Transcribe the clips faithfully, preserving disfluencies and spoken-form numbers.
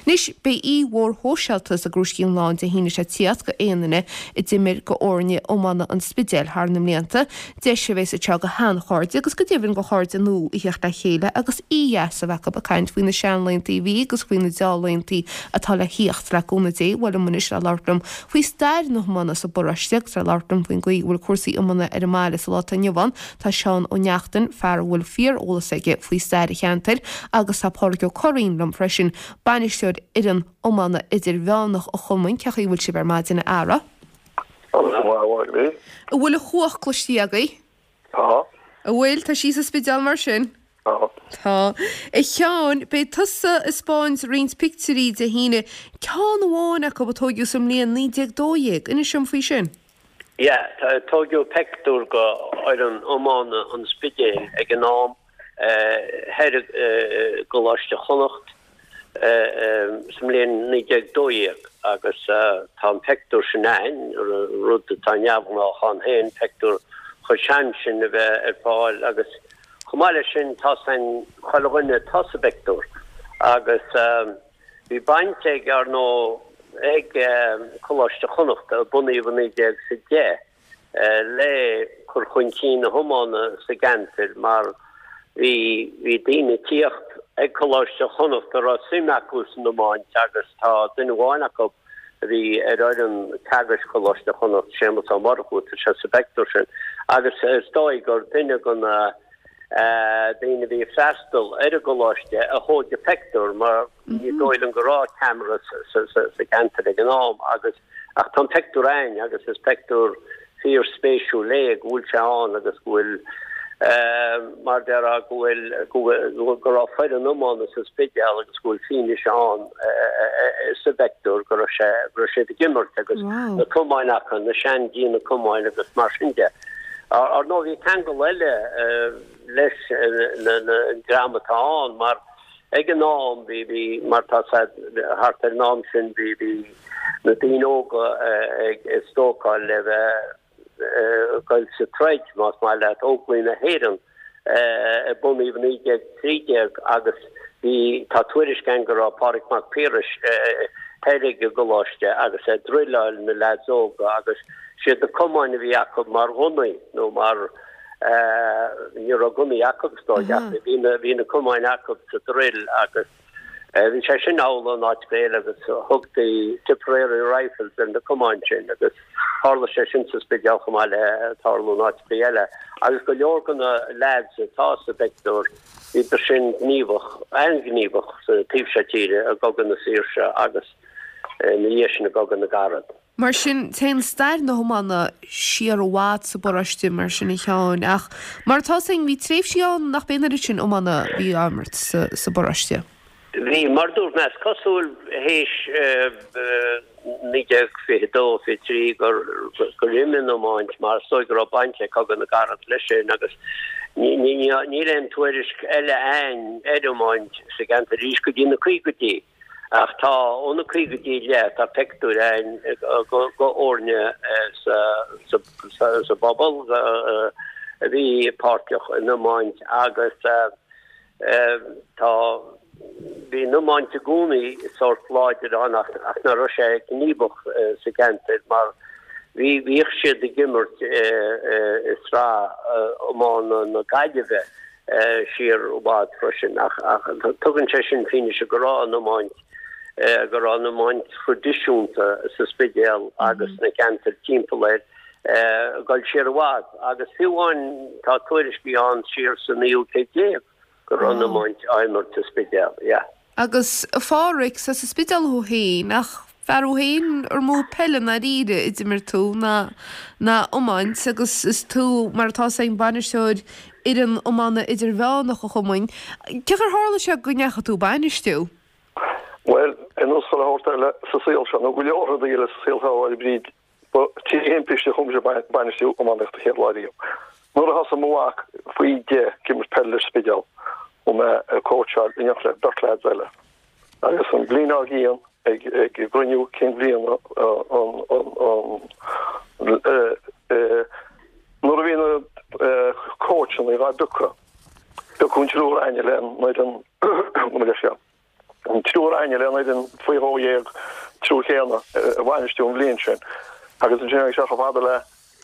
Anois beidh oíche mhór shóisialta sa gCrúiscín Lán Dé hAoine seo tíocht go aon duine a d'imir go fhoirne iomána an Spidéil thar na mblianta, deis a bheas anseo go sheanchairde agus go deimhin go chairde nua a theacht le chéile agus oíche dheas a bheith acu ag caint faoi na seanlaethanta a bhí agus faoi na dea-laethanta atá le thíocht le cúnamh Dé. Bhuel anois le labhairt liom faoi stair na hiomána sa bparóiste agus le labhairt liom faoin gcaoi a bhfuil cúrsaí iomána ar an mbaile sa lá atá inniu ann tá Seán Ó Neachtain, fear a bhfuil fíor-eolas aige faoi stair an cheantair agus tá Pádraig Ó Curraoin liom freisin, bainisteoir fhoireann iomána idirmheánach an chumainn. Cén chaoi a bhfuil sibh ar maidin a fheara? An bhfuil an chuach cloiste agaibh? Tá. An bhfuil? Tá sí sa Spidéal mar sin? Tá. Tá. A Sheáin, beidh tusa ag 'spáint roinnt pictiúirí Dé hAoine, ceann amháin acu a tóigeadh sa mbliain naoi déag dó dhéag. Inis dom faoi sin. Yeah, tóigeadh peictiúr go fhoireann iomána an Spidéil ag an am thoir i gColáiste Chonnacht sa mbliain naoi déag dó dhéag agus tá an peictiúr sin a'ainn, rud atá neamhghnách ann féin, peictiúr chomh sean sin a bheith ar fáil agus chomh maith leis sin tá 's a'inn chuile dhuine atá sa bpeictiúr agus bhí baint ag, ar ndóigh, ag Coláiste Chonnacht a bunaíodh i naoi déag 's a deich le cur chun cinn na hiomána sa gceantar mar bhí bhí daoine ag tíocht ag Coláiste Chonnacht a raibh suim acu san iomáint agus tá duine amháin acu a bhí ar fhoireann teagaisc Choláiste Chonnacht, Séamus Ó Murchú, tá sé sa bpeictiúr sin agus is dóigh gur duine de na daoine a bhí ag freastal ar an gcoláiste a thóg an peictiúr mar ní dóigh liom go raibh ceamara sa cheantar ag an am agus ach tá an peictiúr a'ainn agus is peictiúr fíor spéisiúil é go bhfuil sé ann agus go bhfuil mar a déarfá go bhfuil go go raibh foireann iomána sa Spidéal agus go bhfuil fianaise ann sa bpeictiúr go raibh sé go raibh siad ag imirt agus na camáin acu, na sean-díona camáin agus mar sin de. Ar ndóigh bhí ceangal eile leis an dream atá ann mar ag an am bhí bhí mar tá thart ar an am sin bhí bhí na daoine óga ag stócáil le bheith ag dul sa troid más maith leat Óglaigh na hÉireann a bunaíodh naoi déag trí déag agus bhí tá tuairisc ann go raibh Pádraig Mac Piarais thoir ag an gcoláiste agus ag druileáil na leaids óga agus siad na camáin a bhí acu mar ghunnaí nó mar ní raibh gunnaí acu is dóigh ach bhí na bhí na camáin acu sa druil agus bhí sé sin amhlaidh in áiteacha eile agus thugtaí Tipperary Rifles ar na camáin sin agus tharla sé sin sa Spidéal chomh maith le tarlú in áiteacha eile agus go leor de na lads atá sa bpeictiúr bhíodar sin gníomhach an-ghníomhach sa taobh seo tíre i gCogadh na Saoirse agus ina dhiaidh sin i gCogadh na gCarad. Mar sin, téann stair na hiomána siar i bhfad sa bparóiste mar sin a Sheáin, ach mar atá 's a'inn, bhí tréimhsí ann nach b'é an oiread sin iomána a bhí á imirt sa sa bparóiste. Bhí, mar dúirt mé, is cosúil théis naoi déag fiche dó, fiche trí gur gur imigh an iomáint mar is dóigh go raibh baint ag Cogadh na gCarad leis sin agus ní ní níl aon tuairisc eile a'ainn ar iomáint sa gceantar arís go dtí na caogaidí. Ach tá, ó na caogaidí i leith, tá peictiúir a'ainn go fhoirne sa sa bpobal a bhí páirteach in iomáint agus tá, bhí an iomáint i gcónaí sórt láidir ann ach ach ná raibh sé gníomhach sa gceantar mar bhí, bhíodh siad ag imirt i sraith iomána na Gaillimhe. siar i bhfad freisin ach tugann sé sin fianaise go raibh an iomáint, go raibh an iomáint thraidisiúnta sa Spidéal agus sna ceantair timpeall air ag dul siar i bhfad agus fiú amháin tá tuairiscí ann siar sa naoú céad déag go raibh an iomáint á imirt sa Spidéal, yeah. Agus a Pháraic, sa Spidéal thú féin, ach fear thú féin ar mó peil i ndáiríre a d'imir tú ná ná iomáint agus is tú, mar atá 's a'inn, bainisteoir fhoireann iomána idirmheánach an chumainn. Cén chaoi ar tharla sé go ndeachaigh tú ag bainistiú? Bhuel, ar nós chuile shórt eile sa saol seo, nó go leor rudaí eile sa saol seo, a Bhríd, Ba trí thimpiste a chuaigh mise ag bainistiú iománaíocht an chéad lá riamh. Nuair a thosaigh mo mhac faoi deich ag imirt peile leis an Spidéal, chuaigh mé ag cóitseáil in éineacht le beirt leaids eile. Agus an bhliain dár gcionn, ag gcruinniú cinn bhliana an nuair a bhí na cóitseanna dhá bpiocadh, piocadh an triúr againne le an fhoireann, gabh mo leithscéal. an triúr againne le an fhoireann faoi dhó dhéag triúr chéanna a bhainistiú an bhliain sin agus ansin tháinig sé chomh fada le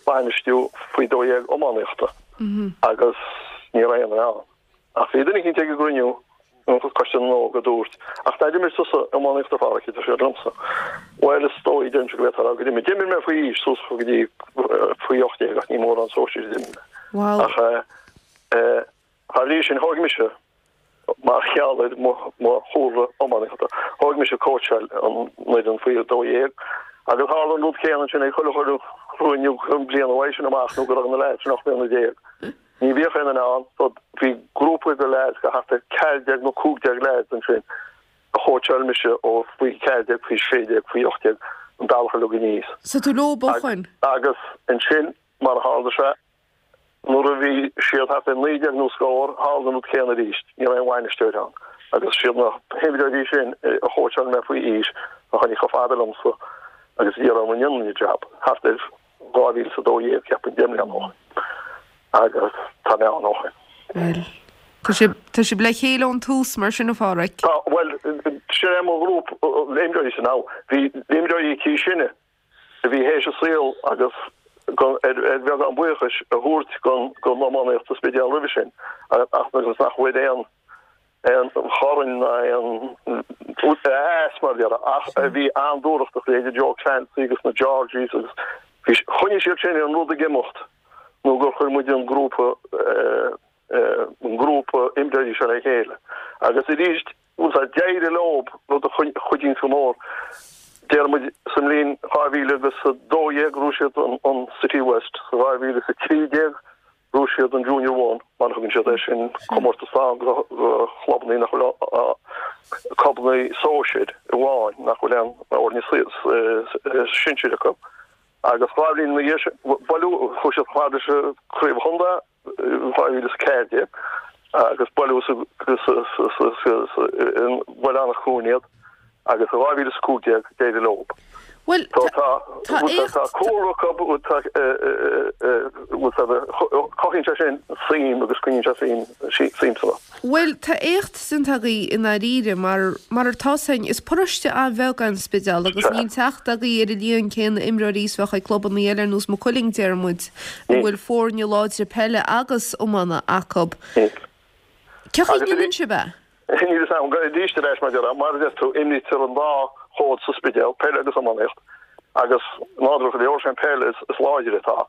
bainistiú faoi dó dhéag iománaíochta agus ní raibh aon duine ann. Ach bhí duine eicínt ag an gcruinniú an Coiste na nÓg a dúirt, Ach ná d'imir tusa iománaíocht a Pháraic, a deir siad liomsa. Bhuel is dóigh deirimse go bhféadfá a rá gur d'imir. D'imir mé faoi aois suas go dtí faoi ocht déag ach ní mórán sóisir a d'imir mé. Ach eh, thar bhrí sin thóg mise mar gheall ar mo chúlra iománaíochta. Thóg mise cóitseáil an fhoireann faoi dó dhéag agus tharla an rud céanna ansin ag chuile chuile chruinniú an bliain uaidh sin amach nó go raibh na leaids sin ocht mbliana déag. Ní bhíodh aon duine ann so bhí grúpa de leaids go thart ar ceathair déag nó cúig déag leaids ansin a chóitseáil mise ó faoi ceathair déag, faoi sé déag, faoi ocht déag an bealach uilig aníos. So tú leo ó shin? Agus ansin mar a tharla sé Nuair a bhí siad thart ar naoi déag nó scór, tharla an rud céanna arís, ní raibh aon bhainisteoir ann. Agus siad na himreoirí sin a chóitseáil mé faoi aois a tháinig chomh fada liomsa agus a d'iarr orm an ndéanfainn an jab, thart ar dhá mhíle is a dó dhéag, ceapaim, deich mbliana ó shin. Agus tá mé ann ó shin. Bhuel, tá sibh, tá sibh le chéile ón tús mar sin, a Pháraic? Tá, bhuel, sin é mo ghrúpa imreoirí san am. Bhí imreoirí níos sine a bhí théis a saol agus ar bheagán buíochais a thabhairt don iománaíocht sa Spidéal roimhe sin ach agus nach bhfuair aon aon chorn ná aon as mar dhea ach a bhí an-dúthrachtach leithéidí Joe Clancy agus na Georgies agus bhí choinnigh siad sin an rud ag imeacht nó gur chuir muid an grúpa an grúpa imreoirí seo le chéile agus arís Bhuel, tá d'éirigh leo, rud a chuidíonns go mór. Deir muid sa mbliain dhá mhíle agus a dó dhéag ghnóthaigh siad an City West, sa dhá mhíle is a trí déag ghnóthaigh siad an Junior One, mar a thugann siad air sin, comórtas ann do chlubanna nach bhfuil clubanna sóisir amháin nach bhfuil aon fhoirne sinsir acu. Agus dhá bhliain ina dhiaidh sin, bailiú, chuaigh siad chomh fada leis an Craobh Chontae, dhá mhíle is a ceathair déag agus bailiú sa Bhaile Anach Cuain iad agus i dhá mhíle is a cúig déag d'éirigh leo. Bhuel, Tá tá tá éacht cúlra acu, tá cothaíonn sé sin suim agus coinníonn sé suim suim sa rud. Bhuel, tá éacht déanta agaibh i ndáiríre, mar, mar atá 's againn, is paróiste an-bheag é an Spidéal agus Sea. níl teacht agaibh ar an líon céanna imreoirí is bheadh ag clubanna eile ar nós Maigh Cuilinn, deir muid, a Níl. bhfuil foirne láidre peile agus iomána acu. Níl. Cén chaoi a Agus ndéanann sibh é? Níl fhios agam, arís ar ais mar a déarfá, mar a deir tú, imrítear an dá chód sa Spidéal, peil agus iománaíocht, agus nádúrtha go leor, sé an peil is, is láidre atá.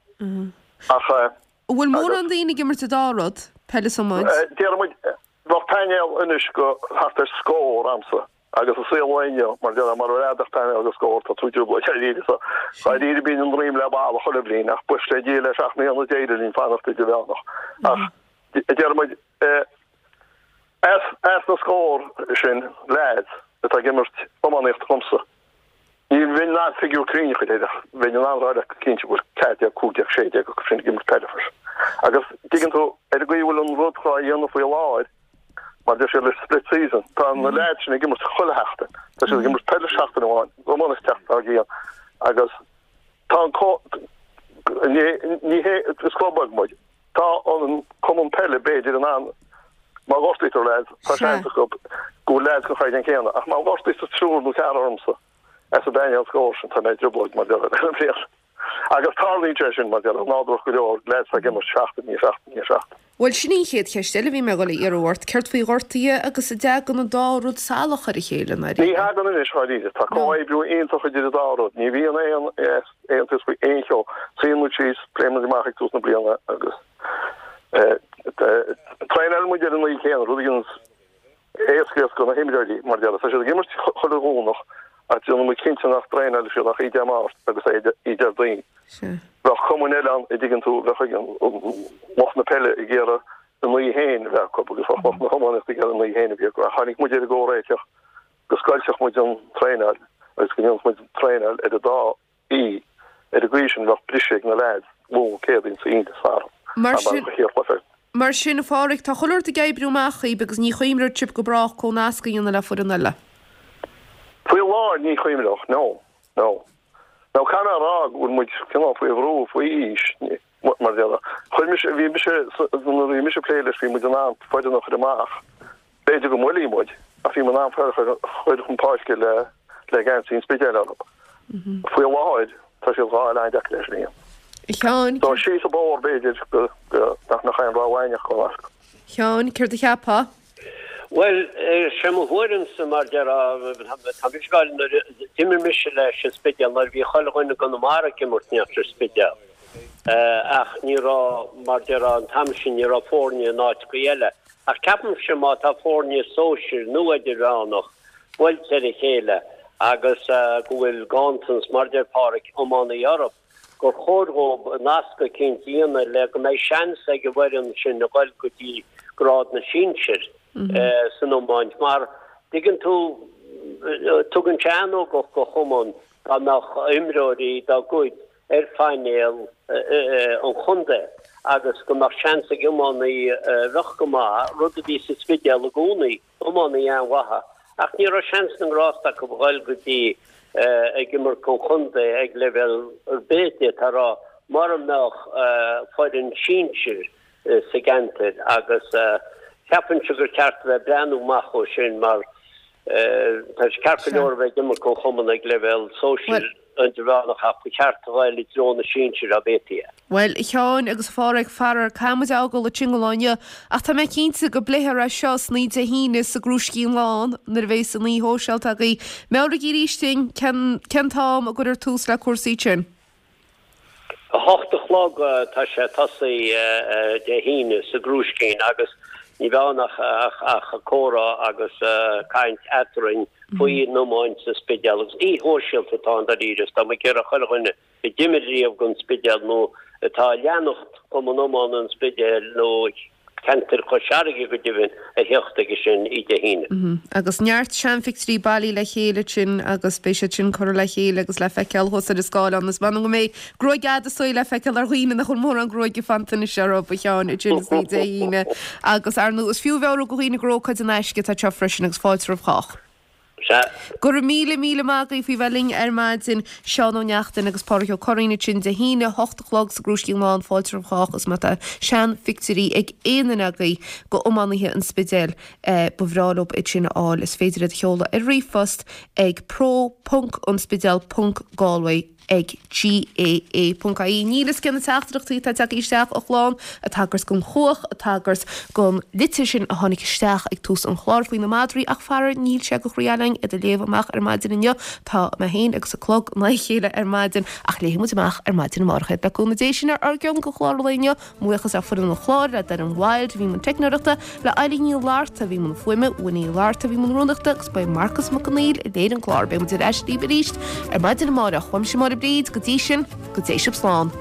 Ach eh, An bhfuil agus. mórán daoine ag imirt an dá rud, peil is iomáint? Déarfaidh muid, bheadh painéal anois go thart ar scór a'msa agus i saol an lae inniu, mar déarfá, mara bhfuil ach painéal go scór, tá tú i dtrioblóid dáiríre. So, dáiríre bíonn an droim le balla chuile bhliain ach buíochas le Dia le seacht mbliana d'éirigh linn fanacht idirmheánach. Ach déarfaidh muid, as, as na scór sin leaids atá ag imirt iománaíocht dhomsa, Ní bheinn in ann figiúr cruinn a chur air ach bheinn in ann rá leat go cinnte go bhfuil ceathair déag, cúig déag, sé déag acu sin ag imirt peile freisin. Agus dtuigeann tú, ar an gcaoi a bhfuil an rud dhá dhéanamh faoi láthair, mar deir siad leis split season, tá na leaids sin ag imirt chuile sheachtain. Tá siad ag imirt peile seachtain amháin, iománaíocht an tseachtain dár gcionn agus tá an co, ní, ní hé, is club beag muid. Tá an cumann peile b'fhéidir in ann, má ghortaítear leaids, tá Sea. seans acu go bhfuil leaids den chaighdeán céanna, ach má ghortaítear triúr nó ceathrar ormsa, as an bpainéal scór sin, tá mé i dtrioblóid mar déarfá ar an bhliain. Agus tarlaíonn sé sin, mar déarfá, nádúrach go leor, leaids ag imirt seachtain i ndiaidh seachtain i ndiaidh seachtain. Bhuel, sin í an chéad cheist eile a bhí mé ag dul a iarraidh ort, céard faoi ghortuithe agus an dtagann an dá rud salach ar a chéile, Ní ndáiríre? thagann anois, dháiríre. Tá No. comhoibriú iontach idir an dá rud. Ní bhíonn aon aontas faoi aon cheo. Suíonn muid síos, pléann muid amach ag tús na bliana agus traenálann muid ar an oíche chéanna, rud a dhéananns éascaíocht do na himreoirí, mar déarfá. Tá siad ag imirt chuile Dhomhnach ach déanann muid cinnte nach dtraenáilfidh siad ach oíche Dé Máirt agus oíche Déardaoin. Bheadh cumainn eile ann, a dtuigeann tú, bheadh ag lucht na peile ag iarraidh a n-oíche féin a bheith acu agus bheadh lucht na hiománaíochta ag iarraidh a n-oíche féin a bheith acu. Ach tháinig muid ar an gcomhréiteach go scoiltfeadh muid an traenáil agus go ndéanfadh muid traenáil ar an dá oíche. Ar an gcaoi sin bheadh briseadh ag na leaids Luan, Céadaoin, Aoine, Satharn. Mar Mar sin. a chéad chluiche. Mar sin, a Pháraic, tá chuile shórt ag oibriú amach dhaoib agus ní chuimhreodh sibh go brách comhnasc a dhéanamh le foireann eile. Faoi láthair ní chuimhreodh, no, no. Now caithfidh mé a rá go bhfuil muid cineál faoi bhrú faoi aois, mar déarfá. Chuir mise, bhí mise, nuair a bhí mise ag plé leis bhí muid in ann foireann a chur amach. B'fhéidir go mbuailfidh muid, Ach bhí mé in ann fear a chur chun páirce le le geansaí an Spidéil orthu. Faoi láthair tá siad dhá fháil an-deacair leis an A Sheáin, Tá síos an bóthar b'fhéidir go go nach mbeadh aon rogha againn ach dul as. Sheáin, céard a cheapfá? Bhuel, sé mo thuairimse mar déarfá, tá mise ag gabháil nuair a d'imir mise leis an Spidéal nuair a bhí chuile dhuine i gConamara ag imirt in éadan an Spidéil. Ach ní raibh, mar déarfá, an t-am sin ní raibh foirne in áiteachaí eile. Ach ceapaimse má tá foirne sóisir nó idirmheánach buailte ar a chéile agus go bhfuil ganntanas, mar deir Páraic, iománaí orthu, gur chóir dhóibh nasc eicínt a dhéanamh le go mbeidh seans ag an bhfoireann sin a ghoil go dtí grád na sinsir san iomáint. Mar, tuigeann tú, tugann sé an-ugach do chumann dá mbeadh imreoirí dá gcuid ar phainéal an chontae agus go mbeadh seans ag iománaí a bheadh go maith, rud a bhí sa Spidéal i gcónaí, iománaí an-mhaith, ach ní raibh seans na ngrást acu a ghoil go dtí ag imirt don chontae ag leibhéal ar bith, d'fhéadfá a rá, mura mbeadh foireann sinsir sa gceantar agus ceapaimse gur ceart a bheith ag breathnú amach ó sin mar Tá sé ceart go leor a bheith ag imirt don chumann ag leibhéal sóisir idirmheánach ach ba cheart a ghoil i dtreo na sinsir dá bhféadfaí é. Bhuel, a Sheáin agus a Pháraic, faraor, caithfidh muid a fhágáil ansin don lá inniu, ach tá mé cinnte go bpléifear é seo san oíche Dé hAoine sa gCrúiscín Lán nuair a bheas an oíche shóisialta agaibh. Meabhraigí arís dúinn cén cén t-am a gcuirfear tús le cúrsaí ansin. A hocht a chlog tá sé ag tosaí Dé hAoine sa gCrúiscín agus ní bheidh ann ach comhrá agus caint eadrainn faoin iomáint sa Spidéal agus oíche shóisialta atá ann dáiríre is tá muid ag iarraidh chuile dhuine a d'imir riamh don Spidéal nó atá ag leanacht Cumann Iomána an Spidéil nó ceantar Chois Fharraige go deimhin, a theacht aige sin oíche Dé hAoine. Agus neart seanphictiúirí bailithe le chéile ansin agus beidh siad sin curtha le chéile agus le feiceáil thuas ar an scáileán. Is m'anam go mbeidh gruaig fhada saoil le feiceáil ar dhaoine nach bhfuil mórán gruaige fanta anois orthu, a Sheáin, ansin san oíche Dé hAoine. Agus, ar ndóigh, is fiú a mheabhrú do dhaoine gur ócáid in aisce atá anseo freisin agus fáilte roimh chách. Sea. Go raibh míle míle maith agaibh faoi bheith linn ar maidin, Seán Ó Neachtain agus Páraic Ó Curraoin ansin Dé hAoine, a hocht a chlog sa gCrúiscín Lán, fáilte roimh chách agus má tá seanphictiúirí ag aon duine agaibh d'iománaithe an Spidéil ba bhreá leo iad sin a fháil, is féidir iad a sheoladh ar ríomhphost ag pro ponc anspidéal ponc galway ag GAA ponc IE. Níl fhios cé na teachtaireachtaí atá tagtha isteach a chlann, ag tagairt don chuach, ag tagairt don litir sin a tháinig isteach ag tús an chláir faoi na madraí ach faraor níl sé de chroí againn iad a léamh amach ar maidin inniu. Tá mé féin agus an clog in aghaidh a chéile ar maidin ach léifidh muid amach ar maidin amárach iad. Le cúnamh Dé sin ár gceann don chlár lae inniu. Buíochas le foireann an chláir, le Doireann Wilde a bhí i mbun teicneoireachta, le Eileen Ní Fhlatharta a bhí i mbun fuaime, Winnie Uí Fhlatharta a bhí i mbun rúnaíochta agus ba é Marcus Mac Conghail a léirigh an clár. Beidh muid ar ais libh arís ar maidin amárach. Uaimse Máire Bríd, go dtí sin, go dté sibh slán.